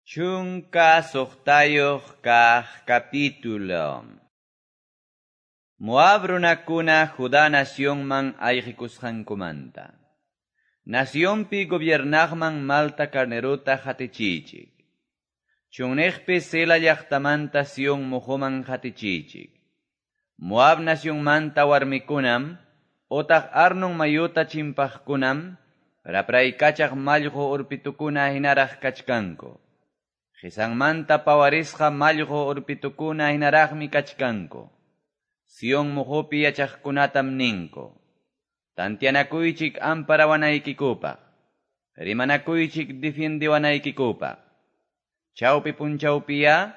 16 kaq capítulo. Moab runakuna Judá nacionman ayqikusqankumanta. Nacionpi gobiernaqman malta carnerota hatichichik. Chunniqpi Sela llaqtamanta Sion muhuman hatichichik. Moab nacionmanta warmikunam, otaq Arnon mayuta chimpaqkunam, rapraykachaq mallqu urpitukuna hinaraq kachkanku. Qisanmanta pawarisqa mallqu urpitukuna hinaraqmi kachkanku. Sion muhupi yachaqkunatam ninku. Tantianakuychik amparawanaykikupaq. Rimanakuychik difiendiwanaykikupaq. Chawpi punchawpiya,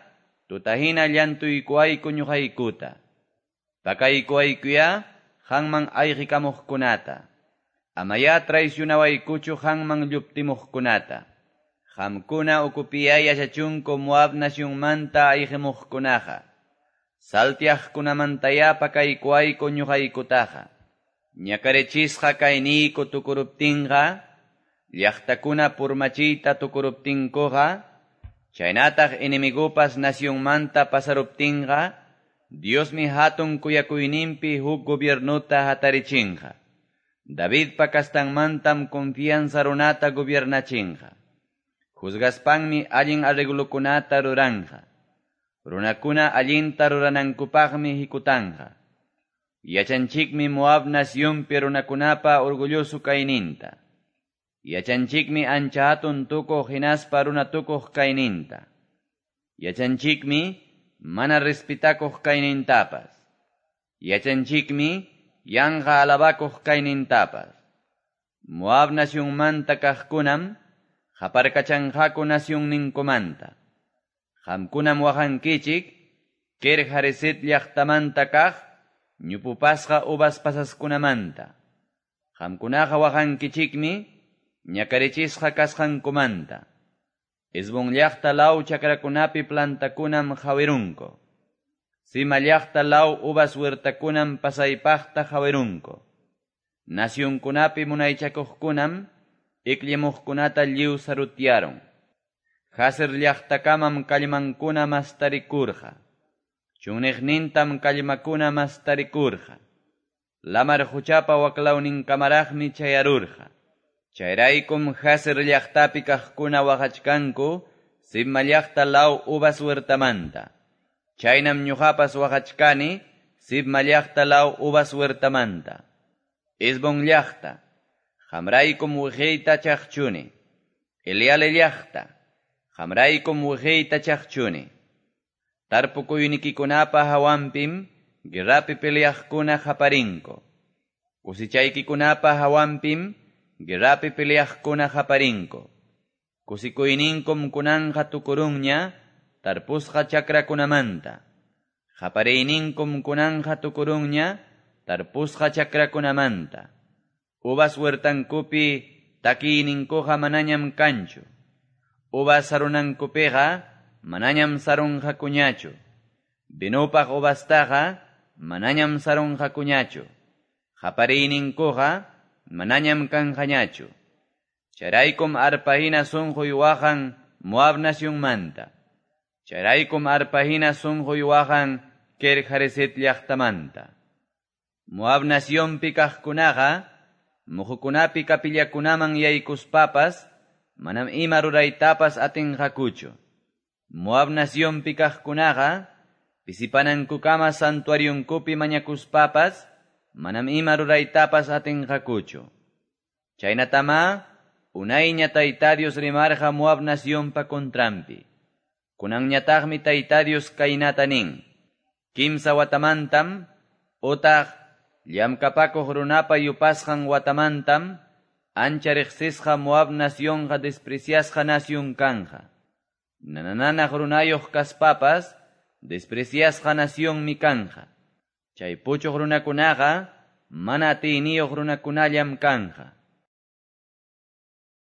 tutahina llantuykuayku ñuqaykuta. Pakaykuaykuya, qanman ayqikamuqkunata. Amaya traicionawaykuchu qanman lluptimuqkunata. Qamkuna ukupiya yachachunku Moab nacionmanta ayqimuqkunaqa. Saltiaqkunamantaya pakaykuayku ñuqaykutaqa. Ñakarichisqa kayniyku tukuruptinqa, llaqtakuna purmachiyta tukuruptinkuqa, chaynataq enemigupas nacionmanta pasaruptinqa, Diosmi hatun kuyakuyninpi huk gobiernuta hatarichinqa. Davidpa kastanmantam confianza runata gobiernachinqa. Juzgaspanmi allin arreglokunata ruranqa. Runakuna allinta ruranankupaqmi hikutanqa. Yachanchikmi Moab nacionpi runakunapa orgulloso kayninta. Yachanchikmi ancha hatun tukuq hinaspa runa tukuq kayninta. Yachanchikmi mana respetakuq kaynintapas. Yachanchikmi yanqa alabakuq kaynintapas. Moab nacionmanta kaqkunam qaparkachanqaku nacionninkumanta. Qamkunam waqankichik Kir Hareset llaqtamanta kaq ñupupasqa uvas pasaskunamanta. Qamkunaqa waqankichikmi ñakarichisqa kasqankumanta. Hesbón llaqta law chakrakunapi plantakunam qhawirunku. Sima llaqta law uvas huertakunam pasaypaqta qhawirunku. Nacionkunapi munaychakuqkunam ikllimuqkunata lliw sarutyaron. Jazer llaqtakamam kallmankuna mastarikurqa. Chunniqnintam kallmakuna mastarikurqa. Lamar quchapa waklawninkamaraqmi chayarurqa. Chayraykum Jazer llaqtapi kaqkuna waqachkanku Sibma llaqta law uvas huertamanta. Chaynam ñuqapas waqachkani Sibma llaqta law uvas huertamanta. Hesbón llaqta, qamraykum wiqiyta chaqchuni. Eleale llaqta, qamraykum wiqiyta chaqchuni. Tarpukuynikikunapa hawanpim guerrapi peleaqkuna qaparinku. Kusichaykikunapa hawanpim guerrapi peleaqkuna qaparinku. Kusikuyninkum kunanqa tukurunña tarpusqa chakrakunamanta. Qapariyninkum kunanqa tukurunña tarpusqa chakrakunamanta. Uvas huertankupi takiyninkuqa manañam kanchu. Uvas sarunankupiqa manañam sarunqakuñachu. Vinupaq uvastaqa manañam sarunqakuñachu. Qapariyninkuqa manañam kanqañachu. Chayraykum arpahina sunquy waqan Moab nacionmanta. Chayraykum arpahina sunquy waqan Kir Hareset llaqtamanta. Moab nacionpi kaqkunaqa muhukunapi kapillakunaman yaykuspapas manam ima ruraytapas atinqakuchu. Moab nacionpi kaqkunaqa pisipanankukama santuarionkupi mañakuspapas manam ima ruraytapas atinqakuchu. Chaynatama unayña Tayta Dios rimarqa Moab nacionpa contranpi. Kunanñataqmi Tayta Dios kaynata nin. Kimsa watamantam otaq llamkapakuq runapa yupasqan watamantam ancha riqsisqa Moab nacionqa despreciasqa nación kanja. Nanananaq runayuq kaspapas despreciasqa nacionmi kanja. Chay puchuq runakunaqa mana atiyniyuq runakunallam kanja.